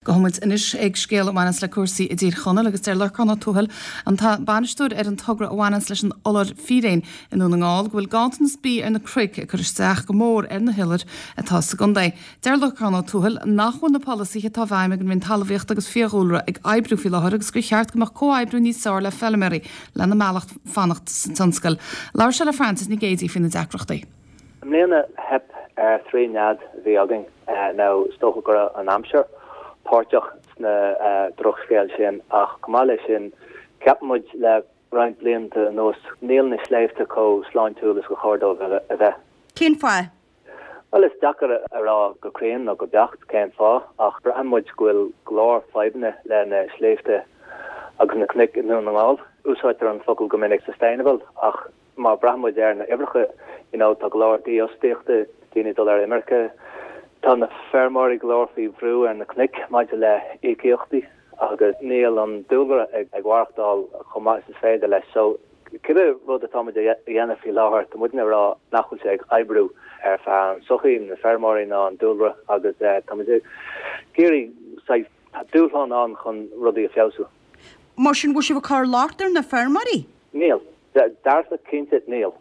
Gabhfaidh muid anois ag scéal a bhaineas le cúrsaí i dTír Chonaill agus deir Lorcán Ó Tuathail, an bainisteoir ar an togra a bhaineas leis an iolar fíréin i nDún na nGall, go bhfuil ganntanas bídh ar na cnoic ag cur isteach go mór ar na hiolair atá sa gcontae. Deir Lorcán Ó Tuathail nach bhfuil na polasaithe atá i bhfeidhm ag an Roinn Talmhaíochta agus Fiadhúlra ag oibriú faoi láthair agus gur cheart go mbeadh comhoibriú níos fearr le feilméaraí lena mealladh fanacht sa tionscal. Labhair sé le Frances Nic Géadaigh faoi na deacrachtaí. I mbliana theip ar thrí nead a bhí againn. Now is dócha go raibh an aimsir páirteach sna drochscéal sin ach chomh maith leis sin ceapann muid le roinnt blianta anuas níl na sléibhte chomh sláintiúil is gur chóir dóibh a bheith. Cén fáth? Bhuel is deacair a rá go cruinn nó go beacht cén fáth ach braitheann muid go bhfuil go leor fadhbanna le na sléibhte agus na cnoic i nDún na nGall. Úsáidtear an focal go minic sustainable ach Má braitheann muid ar na uimhreacha, you know, tá go leor dífhostaíochta, daoine ag dul ar imirce, tá na feirmeoirí go leor faoi bhrú ar na cnoic maidir le íocaíochtaí agus níl an dúlra ag maireachtáil chomh maith is is féidir leis. So, cibé rud atá muid a dhéanamh faoi láthair, tá muidne ag rá nach bhfuil sé ag oibriú ar feadh an sochaí, na feirmeoirí ná an dúlra agus tá muid ag iarraidh saghas dúshlán ann chun rudaí a feabhsú. Mar sin, bhfuil sibh ag cur locht ar na feirmeoirí? Níl. Dearfa, cinnte, níl.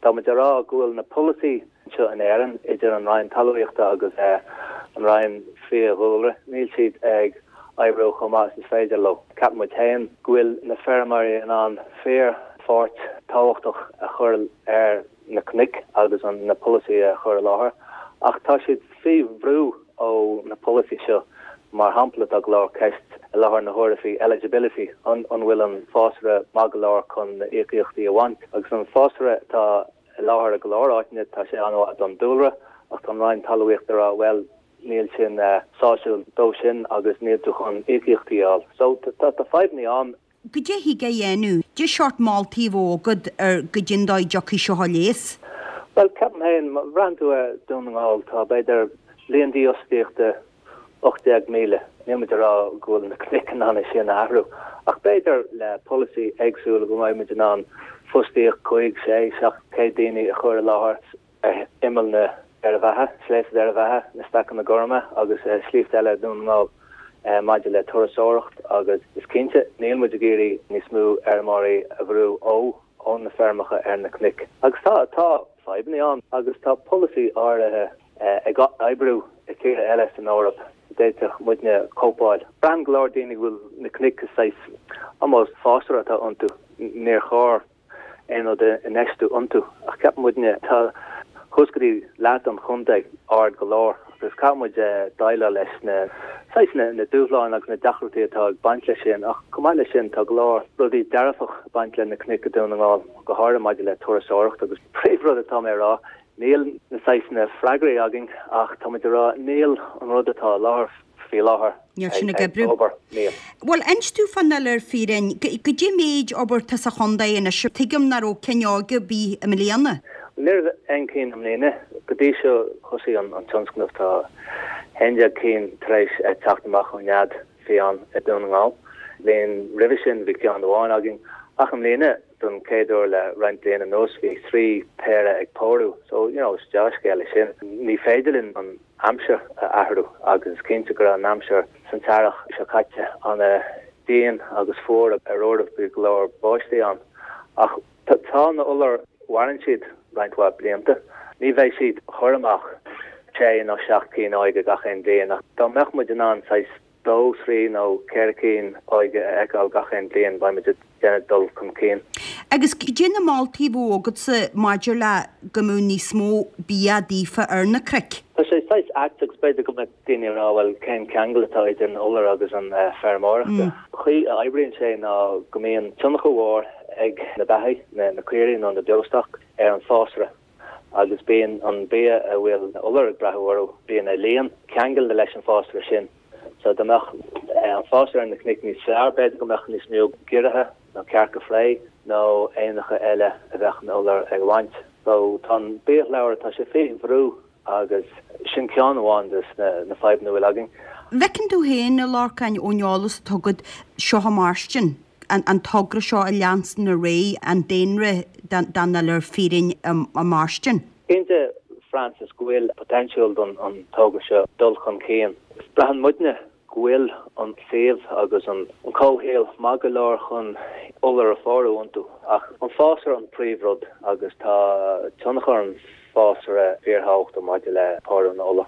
Tá muid ag rá go bhfuil na polasaí anseo in Éirinn, idir an Roinn Talmhaíochta agus an Roinn Fiadhúlra, níl siad ag oibriú chomh maith is is féidir leo. Ceapann muid féin go bhfuil na feirmeoirí in ann fíor pháirt tábhachtach a chur ar na cnoic agus na polasaí a chur i láthair ach tá siad faoi bhrú ó na polasaí seo. Mar shampla, tá go leor ceist i láthair na huaire faoi eligibility, an bhfuil an fásra maith go leor chun na íocaíochtaí a bhaint? Agus an fásra atá i láthair i go leor áiteanna, tá sé an-mhaith don dúlra ach tá an Roinn Talmhaíochta ag rá, bhuel, níl sin sásúil dó sin agus níl tú chun íocaíochtaí a fháil. So, tá fadhbanna ann. Goidé thig a dhéanamh? Goidé seort moltaí a bheadh agat ar goidé'n dóigh dtiocfaidh seo a leigheas? Bhuel, ceapaim féin, má bhraitheann tú ar Dún na nGall, tá b'fhéidir líon dífhostaíochta 18,000. Níl muid ag rá go bhfuil na cnoic in ann é sin a athrú, ach b'fhéidir le polasaí éagsúil go mbeidh muid in ann fostaíocht 5, 6, 700 daoine a chur i láthair. ar imeall na Doire Bheatha, Sléibhte Dhoire Bheatha, na Stacanna Gorma agus sléibhte eile Dhún na nGall maidir le turasóireacht agus is cinnte níl muid ag iarraidh níos mó fheirmeoirí a bhrú ó ó na feirmeacha ar na cnoic. Agus tá tá fadhbanna ann agus tá polasaí áirithe ag oibriú i tíortha eile san Eoraip a d'fhéadfadh muidne cóipeáil. Braitheann go leor daoine go bhfuil na cnoic saghas almost fásra atá iontu. Níor chóir aon rud a infheistiú iontu. Ach ceapann muidne, tá thuas go dtí leath den chontae ard go leor agus caithfidh muid déileáil leis na saghas na dúshláin agus na deacrachtaí atá ag baint leis sin. Ach chomh maith leis sin tá go leor rudaí dearfach ag baint le na cnoic i Dún na nGall, go háirithe maidir le turasóireacht agus príomhrud atá mé a rá, níl na saghas na freagraí againn ach tá muid a rá níl an rud atá i láthair faoi láthair Níl sin ag oibriú. obair, níl. Bhuel, inis domh fán iolar firéin. Goidé méid obair atá sa chontae anois? Tuigim nach raibh cinn óige ar bith i mbliana. Ní raibh aon cinn i mbliana. Go dtí seo thosaigh an tionscnamh tá 11 cinn tar éis teacht amach ón nead fiáin i Dún na nGall. Bliain roimhe sin bhí ceann amháin againn ach i mbliana don chéad uair le roinnt bliain anuas bhí thrí péire ag pórú so you know is dea-scéal é sin. Ní féidir linn an aimsir a athrú agus is cinnte go raibh an aimsir san t-earrach seo caite ana dian agus fuar ar uairibh bhí go leor báistí ann ach tá na iolair mhaireann siad roinnt mhaith blianta. Ní bheidh siad ag cur amach sé nó seacht cinn óige gach aon bhliain ach dá mbeadh muid in ann saghas dó, thrí nó ceithre cinn óige a fheiceáil gach aon bhliain, beidh muid ag déanamh dul chun cinn. Agus cad é na moltaí a bheadh agatsa maidir le go mbeadh níos mó bia daofa ar na cnoic? Tá sé saghas ait agus b'fhéidir go mbeadh daoine ag rá bhuel cén ceangal atá idir an iolar agus an feirmeoireachta. Chaoi a oibríonn sé ná go mbíonn tionchar mhór ag na beathaigh, na caoirigh nó na beostoc, ar an fásra. agus bíonn an bia a bhfuil na iolair ag breathú orthu, bíonn a líon ceangailte leis an fásra sin. So dá mbeadh an fásra ar na cnoic níos fearr, b'fhéidir go mbeadh níos mó giorraithe nó cearca fraoigh nó éanacha eile a bheadh na iolair ag baint. So tá an biashlabhra, tá sé faoi bhrú agus sin ceann amháin de na fadhbanna a bhfuil againn. An bhfeiceann tú féin, a Lorcáin, ón eolas atá agat, seo a mairstin? an togra seo a leanstan ar aghaidh, an daonra den iolar firéin a mairstin. Cinnte, Frances, go bhfuil potential don an togra seo dul chun cinn. Braitheann muidne. go bhfuil an suíomh agus an comhshaol maith go leor chun iolar a phórú iontu. Ach an fásra an príomhrud agus tá tionchar an fásra fíorthábhachtach maidir le pórú na n-iolar.